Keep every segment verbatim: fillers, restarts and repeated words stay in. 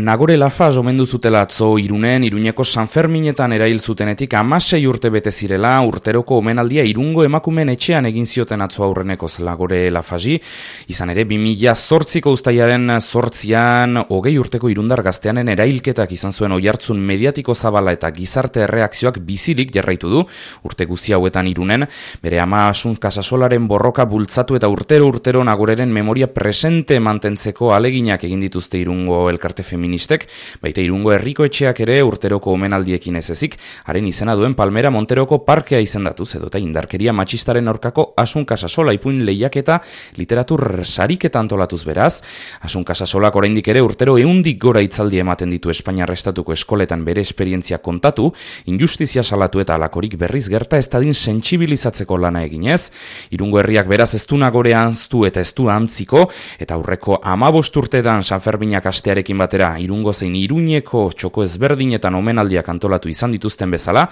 Nagore Lafaz omendu zutela atzo Irunen, Iruñeko San Ferminetan erail zutenetik hamasei urte bete zirela, urteroko omenaldia Irungo emakumeen etxean egin zioten atzo aurrenekoz Nagore Lafazi. Izan ere, bi mila zortziko uztailaren zortzian, hogei urteko irundar gazteanen erailketak izan zuen oihartzun mediatiko zabala eta gizarte erreakzioak bizirik jarraitu du, urte guzi hauetan Irunen, bere ama Asun Casasolaren borroka bultzatu eta urtero-urtero Nagoreren memoria presente mantentzeko aleginak egin dituzte Irungo elkarte feministak. Baita Irungo herriko etxeak ere urteroko omenaldiekin ez ezik, haren izena duen Palmera Monteroko parkea izendatuz edota indarkeria matxistaren aurkako Asun Casasola ipuin lehiaketa literatur sariketa antolatuz beraz. Asun Casasolak oraindik ere urtero ehundik gora hitzaldi ematen ditu Espainiar estatuko eskoletan bere esperientzia kontatu, injustizia salatu eta alakorik berriz gerta ez dadin sentsibilizatzeko lana eginez. Irungo herriak beraz ez du Nagore ahaztu eta ez du antziko, eta aurreko hamabost urtetan San Ferminak astearekin batera Irungo zein Iruñeko txoko ezberdinetan omenaldiak antolatu izan dituzten bezala,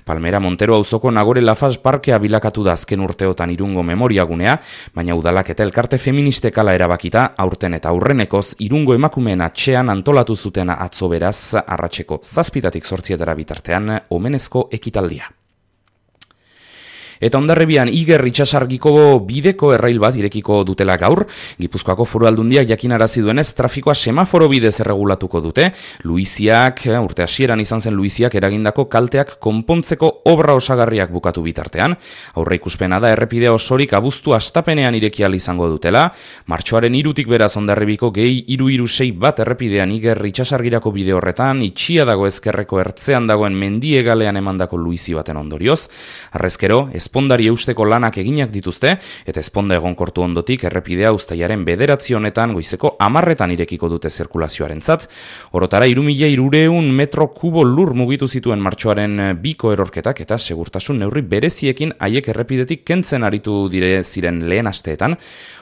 Palmera Montero auzoko Nagore Lafaz parkea bilakatu da azken urteotan Irungo memoriagunea, baina udalak eta elkarte feministek hala erabakita, aurten eta aurrenekoz Irungo emakumeen atxean antolatu zuten atzo beraz arratseko zazpitatik zortzietara bitartean omenezko ekitaldia. Eta Hondarribian Iger itsasargiko bideko errail bat irekiko dutela gaur, Gipuzkoako Foru Aldundiak jakinarazi duenez trafikoa semaforo bidez erregulatuko dute. Luiziak, urte hasieran izan zen Luiziak eragindako kalteak konpontzeko obra osagarriak bukatu bitartean. Aurreikuspena da errepidea osorik abuztu astapenean ireki ahal izango dutela. Martxoaren hirutik beraz Hondarribiko gehi hiru hiru sei bat errepidean Iger itsasargirako bide horretan itxia dago ezkerreko ertzean dagoen mendiegalean emandako luizi baten ondorioz. Harrezkero, Ezpondari eusteko lanak eginak dituzte, eta ezponda egonkortu ondotik errepidea uztailaren bederatzi honetan goizeko hamarretan irekiko dute zirkulazioarentzat. Orotara hiru mila hirurehun metro kubo lur mugitu zituen martxoaren biko erorketak eta segurtasun neurri bereziekin haiek errepidetik kentzen aritu dire ziren lehen asteetan.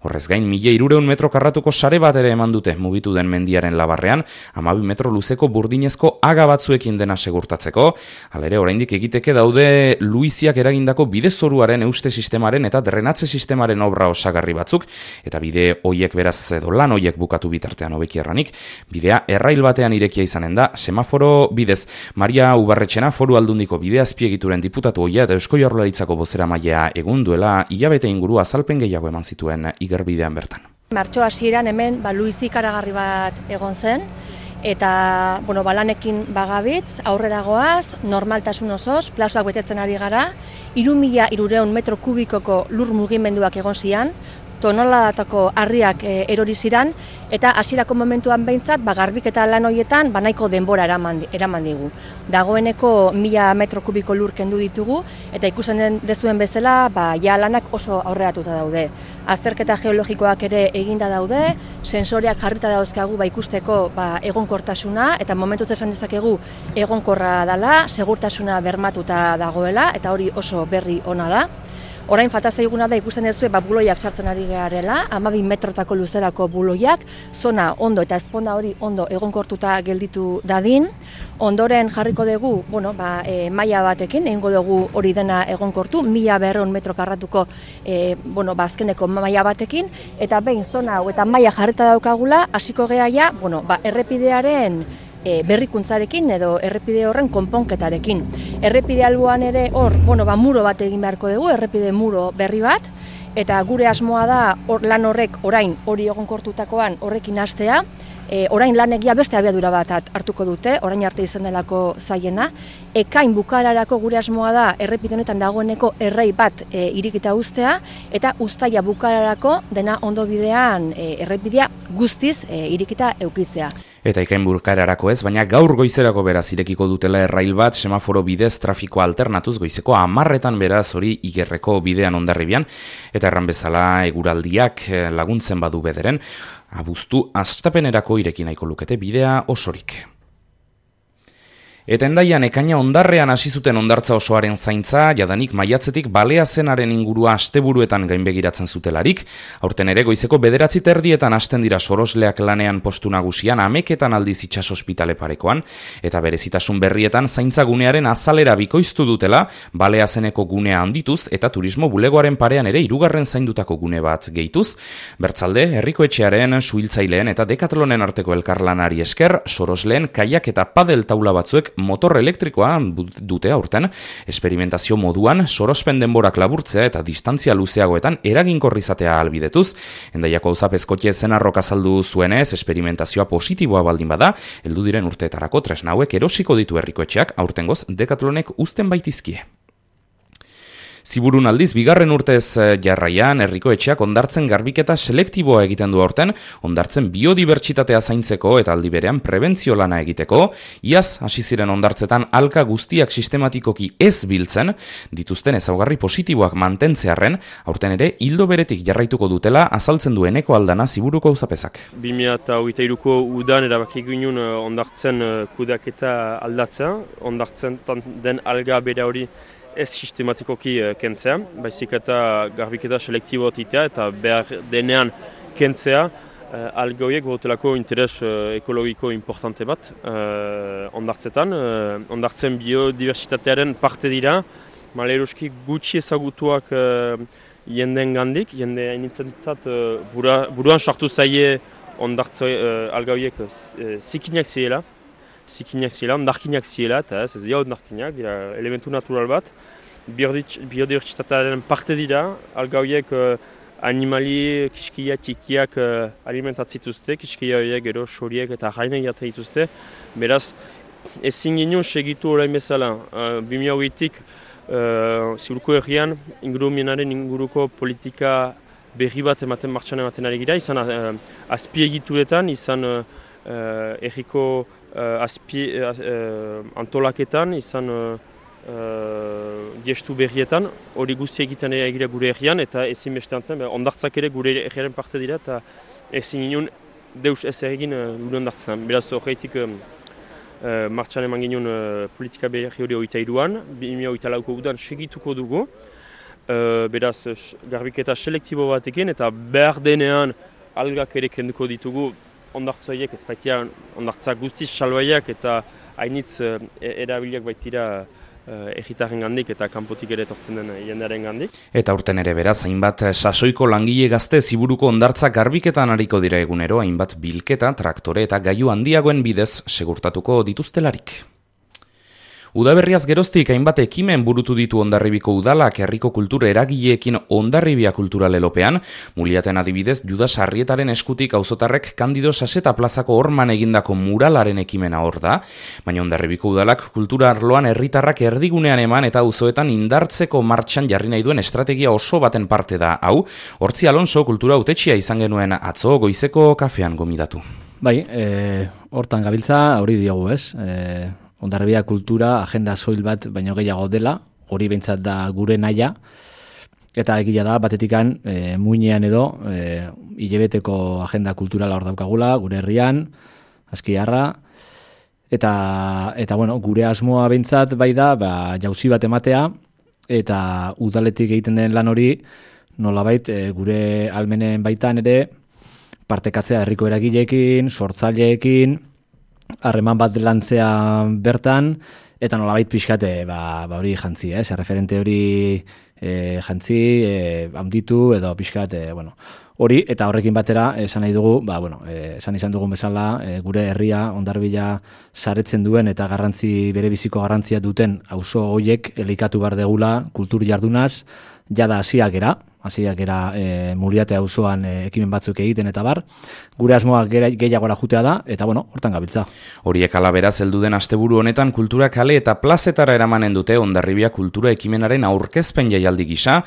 Horrez gain, mila hirurehun metro karratuko sare bat ere eman dute mugitu den mendiaren labarrean, hamabi metro luzeko burdinezko aga batzuekin dena segurtatzeko. Halere, oraindik egiteke daude Luiziak eragindako bide zoruaren euste sistemaren eta drenatze sistemaren obra osagarri batzuk, eta bide hoiek beraz edo lan hoiek bukatu bitartean hobeki erranik, bidea errail batean irekia izanen da, semaforo bidez. Maria Ubarretxena Foru Aldundiko bide azpiegituren diputatu hoia eta Eusko Jaurlaritzako bozeramailea egun duela hilabete inguru azalpen gehiago eman zituen Igerbidean bertan. Martxo hasieran hemen ba, Luizi ikaragarri bat egon zen, eta bueno, balanekin bagabitz, aurrera goaz, normaltasun osoz, plazoak betetzen ari gara, hiru mila hirurehun metro kubikoko lur mugimenduak egon zian, toneladatako harriak e, erori ziran, eta hasierako momentuan behintzat, ba, garbiketa lan horietan ba, nahiko denbora eraman, eraman digu. Dagoeneko mila metro kubiko lur kendu ditugu, eta ikusten dezuen bezala, ba, ja lanak oso aurreratuta daude. Azterketa geologikoak ere eginda daude, sensoreak jarrita dauzkagu ba, ikusteko ba, egonkortasuna, eta momentuz esan dezakegu egonkorra dela, segurtasuna bermatuta dagoela, eta hori oso berri ona da. Orain falta zaiguna da ikusten dezue ba, buloiak sartzen ari garela, hamabi metrotako luzerako buloiak, zona ondo eta ezponda hori ondo egonkortuta gelditu dadin. Ondoren jarriko dugu, bueno, ba, e, maila batekin, egingo dugu hori dena egonkortu, mila berrehun metro karratuko e, bueno, ba, azkeneko maila batekin, eta behin zona hau eta maila jarrita daukagula, hasiko gea ja, bueno, ba, errepidearen E, berrikuntzarekin edo errepide horren konponketarekin. Errepide alboan ere hor, bueno, ba, muro bat egin beharko dugu, errepide muro berri bat, eta gure asmoa da or, lan horrek orain hori egonkortutakoan horrekin hastea, e, orain lanegia beste abiadura bat hartuko dute, orain arte izan delako zaiena, ekain bukararako gure asmoa da errepide honetan dagoeneko errei bat e, irikita uztea, eta uztaila bukararako dena ondo bidean e, errepidea guztiz e, irikita eukitzea. Eta ikain bukararako ez, baina gaur goizerako beraz irekiko dutela errail bat semaforo bidez trafikoa alternatuz goizeko hamarretan beraz hori Igerreko bidean Hondarribian, eta erran bezala eguraldiak laguntzen badu bederen, abuztu astapenerako ireki nahiko lukete bidea osorik. Eta Hendaian ekaina hondarrean hasi zuten hondartza osoaren zaintza, jadanik maiatzetik balea zenaren ingurua asteburuetan gainbegiratzen zutelarik, aurten ere goizeko bederatzi terdietan hasten dira sorosleak lanean postu nagusian, ameketan aldiz itsas ospitale parekoan, eta berezitasun berrietan zaintzagunearen azalera bikoiztu dutela, balea zeneko gunea handituz, eta turismo bulegoaren parean ere hirugarren zaindutako gune bat gehituz, bertzalde, herriko etxearen, suhiltzaileen eta dekatlonen arteko elkarlanari esker, sorosleen kaiak eta padel taula batzuek motor elektrikoa dute aurten, esperimentazio moduan sorospen denborak laburtzea eta distantzia luzeagoetan eraginkor izatea ahalbidetuz. Hendaiako auzapezkotxe zenarrok azaldu zuenez, esperimentazioa positiboa baldin bada, heldu diren urteetarako tresna hauek erosiko ditu herrikoetxeak, aurtengoz dekatlonek uzten baitizkie. Ziburun aldiz, bigarren urtez jarraian, herriko etxeak hondartzen garbiketa selektiboa egiten du aurten, hondartzen biodibertsitatea zaintzeko eta aldi berean prebentzio lana egiteko, iaz hasi ziren hondartzetan alka guztiak sistematikoki ez biltzen, dituzten ezaugarri positiboak mantentzearren, aurten ere hildo beretik jarraituko dutela azaltzen du Eneko Aldana Ziburuko auzapezak. bi mila hogeita hiruko udan erabaki ginen hondartzen kudeaketa aldatzea, hondartzen den alga bere hori ez sistematikoki kentzea, baizik eta garbiketa selektibo titea eta behar denean kentzea, alga horiek botelako interes ekologiko importante bat hondartzetan. Hondartzen biodiversitatearen parte dira, maleruski gutxi ezagutuak jendeen gandik, jende hainitzentzat buruan sartu zaie hondartze alga horiek zikinak zirela, zikinak zirela, ondarkinak zirela, eta ez ez dira ondarkinak, dira elementu natural bat. Biodiversitatearen parte dira, alga horiek uh, animali, kiskia, txikiak uh, alimentatzituzte, kiskia horiek gero soriek eta jainek jaten dituzte. Beraz, ezin ginen segitu orain bezala, uh, bi mila hogeitik uh, Ziburuko herrian ingurumenaren inguruko politika berri bat ematen martxan ematen ari gira, izan uh, azpiegituretan, izan uh, herriko uh, azpie, uh, antolaketan, izan uh, Uh, gestu berrietan, hori guzti egiten egira gure herrian, eta ezin bestean zen, ondartzak ere gure herriaren parte dira, eta ezin ginen deus ez egin uh, gure ondartzen. Beraz, horreitik uh, uh, martxan eman ginen uh, politika berri hori hogeita hiruan, bi mila hogeita lauko udan segituko dugu, uh, beraz, garbiketa selektibo batekin, eta behar denean algak ere kenduko ditugu ondartzaiek, ez baitia ondartzak guztiz salbaiak, eta hainitz uh, erabiliak baitira Uh, egitaren gandik eta kanpotik ere etortzen den jendearen gandik. Eta urten ere beraz, hainbat sasoiko langile gazte Ziburuko hondartza garbiketan ariko dira egunero, hainbat bilketa, traktore eta gailu handiagoen bidez segurtatuko dituztelarik. Udaberriaz geroztik hainbat ekimen burutu ditu Hondarribiko udalak herriko kultura eragileekin Hondarribia kulturalelopean, Muliaten adibidez Judas Arrietaren eskutik auzotarrek Kandido Saseta plazako horman egindako muralaren ekimena hor da, baina Hondarribiko udalak kultura arloan herritarrak erdigunean eman eta auzoetan indartzeko martxan jarri nahi duen estrategia oso baten parte da hau, Hortzi Alonso kultura hautetxea izan genuen atzo goizeko kafean gomidatu. Bai, e, hortan gabiltza hori diogu ez, e... Hondarribia kultura agenda soil bat baino gehiago dela, hori behintzat da gure naia, eta egia da batetikan e, muinean edo e, hilabeteko agenda kulturala hor daukagula, gure herrian, Azkiarra, eta, eta bueno, gure asmoa behintzat bai da ba, jauzi bat ematea, eta udaletik egiten den lan hori nolabait e, gure almenen baitan ere partekatzea herriko eragileekin, sortzaileekin, harreman bat lantzea bertan, eta nolabait pixkate ba, ba hori jantzi, ez? Referente hori e, jantzi, e, handitu edo pixkate, bueno, hori, eta horrekin batera esan nahi dugu, ba, bueno, e, esan izan dugun bezala, e, gure herria Hondarribia saretzen duen eta garrantzi bere biziko garrantzia duten auzo horiek elikatu behar degula kultur jardunaz, jada hasiak era, hasiak era e, Muliate auzoan e, ekimen batzuk egiten eta bar, gure asmoa gehiagora jutea da, eta bueno, hortan gabiltza. Horiek alaberaz heldu den asteburu honetan kultura kale eta plazetara eramanen dute Hondarribia kultura ekimenaren aurkezpen jaialdi gisa,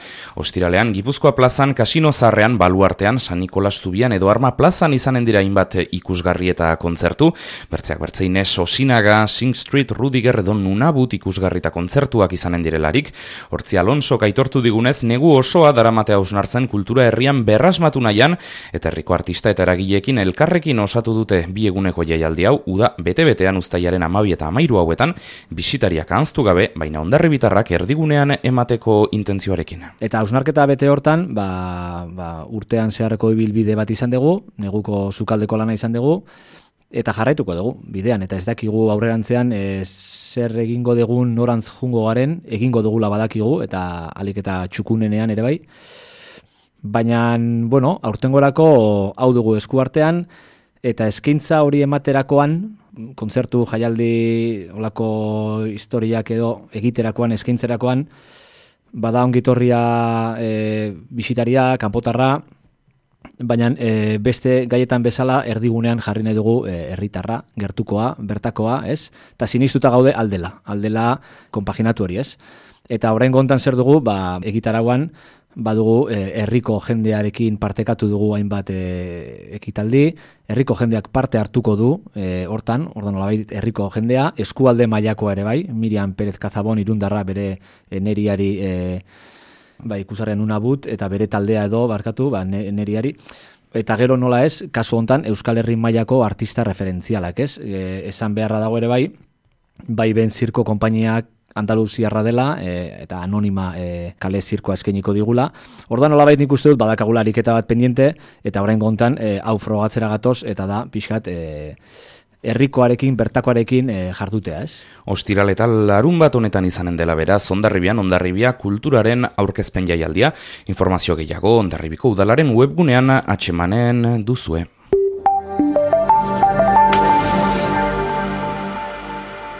ostiralean Gipuzkoa plazan, Kasino Zarrean, Baluartean, San Nikolas Zubian edo Arma plazan izanen dira hainbat ikusgarri eta kontzertu, bertzeak bertzeinez Osinaga, Sing Street, Rudiger edo Nunabut ikusgarri eta kontzertuak izanen direlarik, Hortzi Alonso aitortu digunez negu osoa daramat ematea hausnartzen kultura herrian berrasmatu nahian, eta herriko artista eta eragileekin elkarrekin osatu dute bi eguneko jaialdi hau, uda bete-betean uztailaren hamabi eta hamairu hauetan, bisitariak ahaztu gabe, baina hondarribitarrak erdigunean emateko intentzioarekin. Eta hausnarketa bete hortan, ba, ba, urtean zeharreko ibilbide bat izan dugu, neguko sukaldeko lana izan dugu, eta jarraituko dugu bidean, eta ez dakigu aurrerantzean e, zer egingo dugun norantz jungo garen, egingo dugula badakigu, eta alik eta txukunenean ere bai. Baina, bueno, aurtengorako hau dugu eskuartean, eta eskaintza hori ematerakoan, kontzertu jaialdi olako historiak edo egiterakoan, eskaintzerakoan, bada ongitorria e, bisitaria, kanpotarra, baina e, beste gaietan bezala erdigunean jarri nahi dugu e, herritarra, gertukoa, bertakoa, ez? Eta sinistuta gaude aldela, aldela konpaginatu hori, ez? Eta orain gontan zer dugu, ba, egitarauan, badugu e, herriko jendearekin partekatu dugu hainbat e, ekitaldi, herriko jendeak parte hartuko du, e, hortan, ordan nolabait herriko jendea, eskualde mailakoa ere bai, Miriam Pérez Cazabon irundarra bere e, neriari e, ba, ikusaren unabut, eta bere taldea edo, barkatu, ba, neriari, eta gero nola ez, kasu hontan Euskal Herri mailako artista referentzialak, ez? E, esan beharra dago ere bai, bai ben zirko konpainiak Andaluziarra dela, e, eta anonima e, kale zirkoa eskainiko digula. Ordan nolabait nik uste dut badakagula ariketa bat pendiente, eta orain gontan e, hau frogatzera gatoz, eta da pixkat e, herrikoarekin, bertakoarekin e, jardutea, ez? Ostiral eta larun bat honetan izanen dela beraz, Hondarribian Hondarribia kulturaren aurkezpen jaialdia. Informazio gehiago Hondarribiko udalaren webgunean atsemanen duzue.